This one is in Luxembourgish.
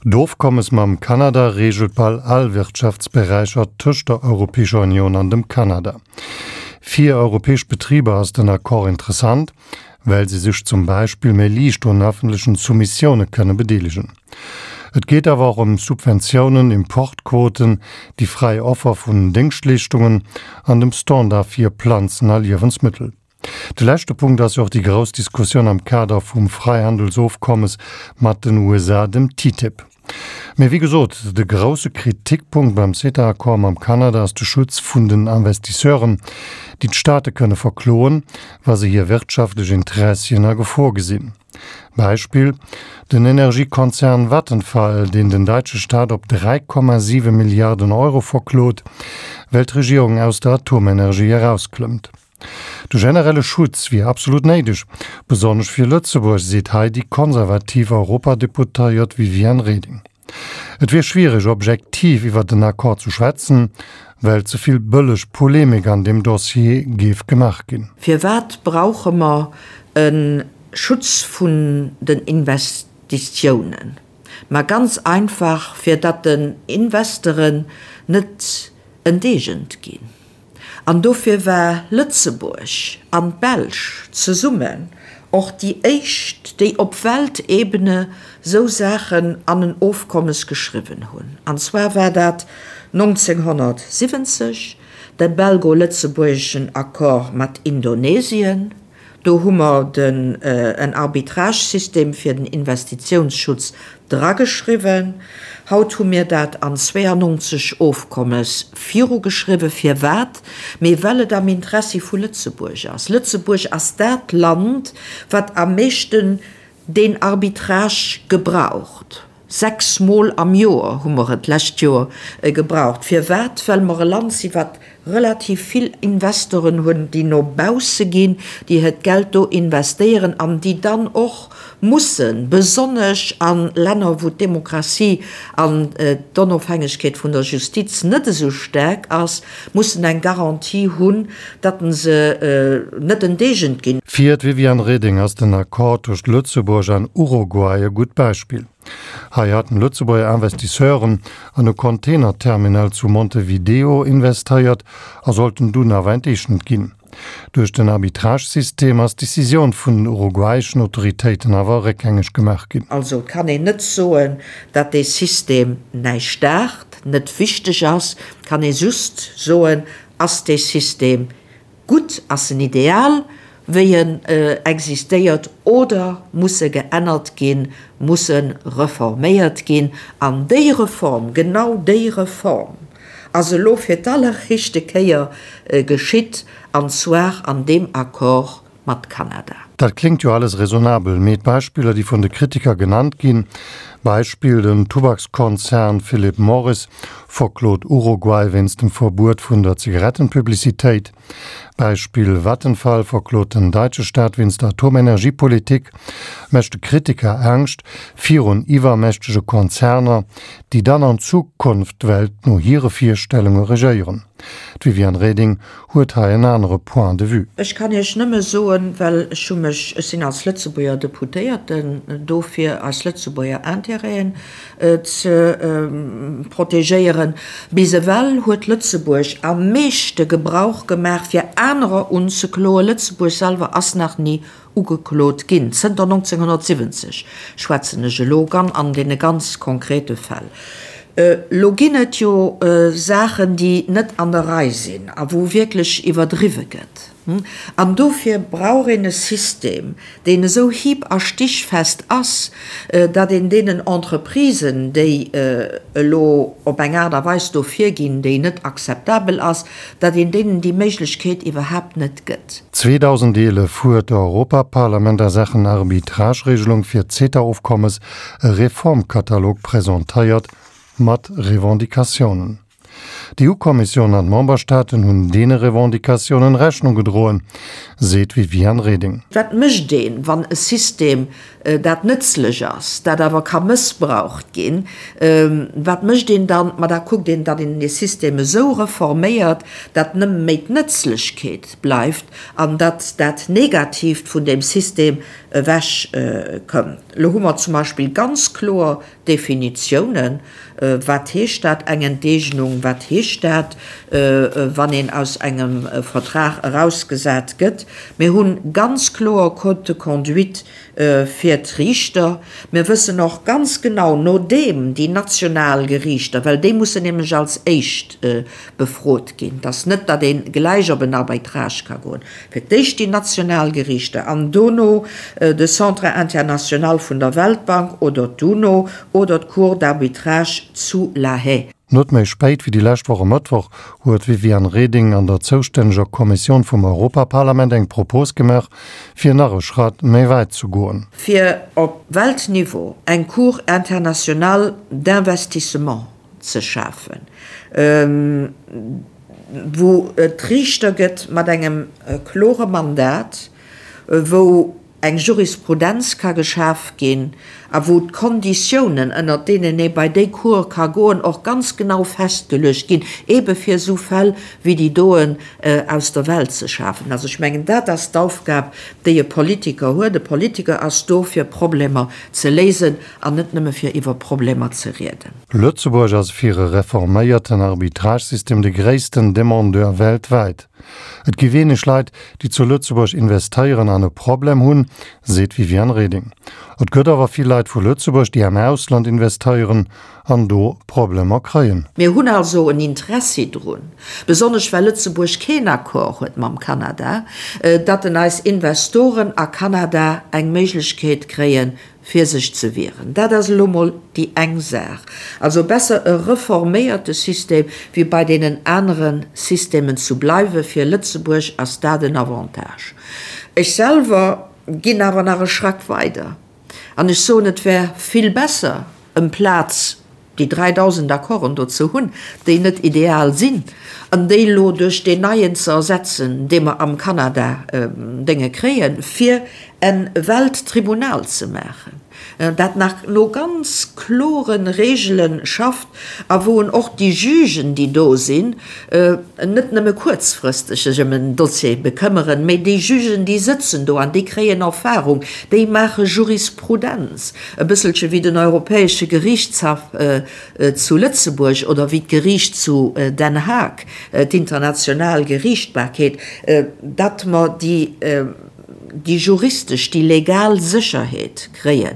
D'Ofkommes mam Kanada reegelt bal all Wirtschaftsberäicher tëscht der Europäescher Unioun an dem Kanada. Fir europäesch Betriber ass den Accord interessant, well se sech zum Beispill méi liicht un ëffentlechen Soumissioune kënne bedeelegen. Et geet awer och ëm Subventiounen, Importquoten, déi fräi Offer vun Déngschtleeschtungen an dem Standard fir Planzen a Liewensmëttel. De leschte Punkt ass jo och déi grouss Diskussioun am Kader vum Fräihandelsofkommes mat den USA, dem TTIP. Mee wéi gesot, de grousse Kritikpunkt beim CETA-Accord mam Kanada ass de Schutz vun den Investisseuren, déi d'Staate kënne verkloen, wa se hir wirtschaftlech Interessien a Gefor gesinn. Beispill, den Energiekonzern Vattenfall, deen den däitsche Staat op 3,7 Milliarden Euro verklot, well d'Regierung aus der Atomenergie erausklëmmt. De generelle Schutz wier absolut néideg, besonnesch fir Lëtzebuerg, seet hei déi konservativ Europadeputéiert Viviane Reding. Et wier schwiereg, objektiv iwwer den Accord ze schwätzen, well ze vill bëlleg Polemik an deem Dossier géif gemaach ginn. Firwat brauche mer e Schutz vun den Investitiounen? Ma ganz einfach, fir datt den Investeren net enteegent ginn. An dofir war Lëtzebuerg an d'Belsch zesummen och déi éischt, déi op Weltebene sou Saachen an en Ofkommes geschriwwen hunn. An zwar war dat 1970 de belgo-lëtzebuergeschen Accord mat Indonesien. Do hu mer den en Arbitragesystem fir den Investitiounsschutz drageschriwwen. Haut hu mir dat an 92 Ofkommes virugeschriwwen. Firwat? Mee well et am Interessi vu Lëtzebuerg ass. Lëtzebuerg ass dat Land, wat am meeschten deen Arbitrage gebraucht. 6 Mol am Joer hu mer et d'lescht Joer gebraucht. Firwat? Well mer e Land sinn, wat relativ vill Investoren hunn, déi no bausse ginn, déi hiert Geld do investéieren an déi dann och mussen, besonnesch a Länner, wou d'Demokratie an d'Onofhängegkeet vun der Justiz net esou staark ass, mussen eng Garantie hunn, datt se net enteegent ginn. Fir d'Viviane Reding ass den Accord tëscht Lëtzebuerg an Uruguay e gutt Beispill. Hei haten Lëtzebuerger Investisseuren an e Containerterminal zu Montevideo investéiert a sollten dunn awer enteegent ginn. Duerch den Arbitragesystem ass d'Decisioun vun den uruguayischen Autoritéiten awer réckgängeg gemaach ginn. Also et kann een net soen, datt dee System näischt daacht, net wichteg ass. Et kann ee just soen, Ass dee System gutt, ass en ideal, wéi en existéiert, oder muss e geännert ginn, muss e reforméiert ginn? An déi Reform, genau déi Reform ass elo fir d'alleréischte Kéier geschitt, an zwar an deem Accord mat Kanada. Dat kléngt jo alles raisonnabel, mee d'Beispiller, déi vun de Kritiker genannt ginn, Beispill, den Tubakskonzern Philip Morris verklot Uruguay wéinst dem Verbuet vun der Zigarettenpublicitéit, Beispill, Vattenfall verklot den daitsche Staat wéinst der Atomenergiepolitik, mécht de Kritiker Angscht virun iwwermächtege Konzerner, déi dann an Zukunft d'Welt no hire Virstellunge regéieren. D'Viviane Reding huet hei en anere Point de vue. Ech kann Iech nëmme soen, well ech hu mech, ech sinn als Lëtzebuerger Deputéierten do fir eis Lëtzebuerger Intérêten ze protegéieren, bis ewell huet Lëtzebuerg am meeschte Gebrauch gemaach fir anerer unzekloen. Lëtzebuerg selwer ass nach ni Ugeklot ginn. Zënter 1970 schwätzen ech elo gan an deene ganz konkrete Fäll. Elo ginn et jo Saachen, déi net an der Rei sinn a wou wierklech iwwerdriwwe gëtt. An dofir brauch een e System, deen esou hieb a stichfest ass, datt een deenen Entreprisen, déi elo op eng Aart a Weis do virginn, déi net akzeptabel ass, datt een deenen déi Méiglechkeet iwwerhaapt net gëtt. 2011 huet d'Europaparlament a Saachen Arbitrageregelung fir d'CETA-Ofkommes e Reformkatalog presentéiert mat Revendicatiounen. D'EU-Kommissioun an d'Memberstaaten hunn deene Revendicatiounen Rechnung gedroen, seet d'Viviane Reding. Wat mécht een, wann e System, dat nëtzlech ass, dat awer ka mëssbraucht ginn, wat mécht een dann? Ma da kuckt een, datt een dee System esou reforméiert, datt nëmme méi d'Nëtzlechkeet bleift an datt dat Negatiivt vun deem System ewech kënnt. Elo hu mer zum Beispill ganz kloer Definitiounen, Wat heescht dat, eng Enteegnung? Wat heescht dat, wann een aus engem Vertrag erausgesat gëtt? Mir hu ganz kloer Code de conduite fir d'Riichter. Mir wëssen och ganz genau, nodeem déi national Geriichter, well déi mussen nämlech als éischt befrot ginn, et ass net, datt ee gläich op en Arbitrage ka goen, Fir d'éischt déi national Geriichter an dono de Centre international vun der Weltbank oder d'UNO oder d'Cour d'arbitrage zu La Haye. Net méi spéit wéi déi lescht Woch e Mëttwoch huet d'Viviane Reding an der zoustänneger Kommissioun vum Europaparlament eng Propos gemaach, fir nach e Schratt méi wäit ze goen. Fir op Weltniveau eng Cour internationale d'investissement ze schafen, wou et Riichter gëtt mat engem klore Mandat, wou eng Jurisprudenz ka geschaf ginn a wou d'Konditiounen, ënnert deenen ee bei déi Cour ka goen, och ganz genau festgeluecht ginn, eebe fir esou Fäll wéi déi doen aus der Welt ze schafen. Also ech mengen, dat ass d'Aufgab, déi e Politiker huet. E Politiker ass do, fir Problemer ze léisen an net nëmme fir iwwer Problemer ze rieden. Lëtzebuerg ass fir e reforméierten Arbitragesystem de gréissten Demandeur weltwäit. Et gi wéineg Leit, déi zu Lëtzebuerg investéieren an e Problem hunn, seet d'Viviane Reding. Et gëtt awer vill Leit vu Lëtzebuerg, déi am Ausland investéieren an do Problemer kréien. Mir hunn also en Interessi drun, besonnesch well Lëtzebuerg keen Accord huet mam Kanada, datt en eis Investoren a Kanada eng Méiglechkeet kréien, fir sech ze wieren. Dat ass elo mol déi eng Saach. Also besser e reforméierte System, wéi bei deenen anere Systemen zu bleiwen. Fir Lëtzebuerg ass dat en Avantage. Ech selwer ginn awer nach e Schrack weider an ech soen, et wär vill besser, emplaz déi 3.000 Accorden do ze hunn, déi net ideal sinn, an déi elo duerch deen neien ze ersetzen, dee mer am Kanada Dénge kréien, fir e Welttribunal ze maachen, dat nach no ganz klore Regele schafft a wou en och déi Jugen, déi do sinn, net nëmme kuerzfristeg sech ëm en Dossier bekëmmeren, mä déi Jugen, déi sëtzen do an déi kréien Erfahrung, déi maache Jurisprudenz. E bësselche wéi den Europäesche Geriichtshaff zu Lëtzebuerg oder wéi d'Geriicht zu Den Haag, d'international Geriichtbarkeet, datt mer déi juristesch, déi legal Sécherheet kréien.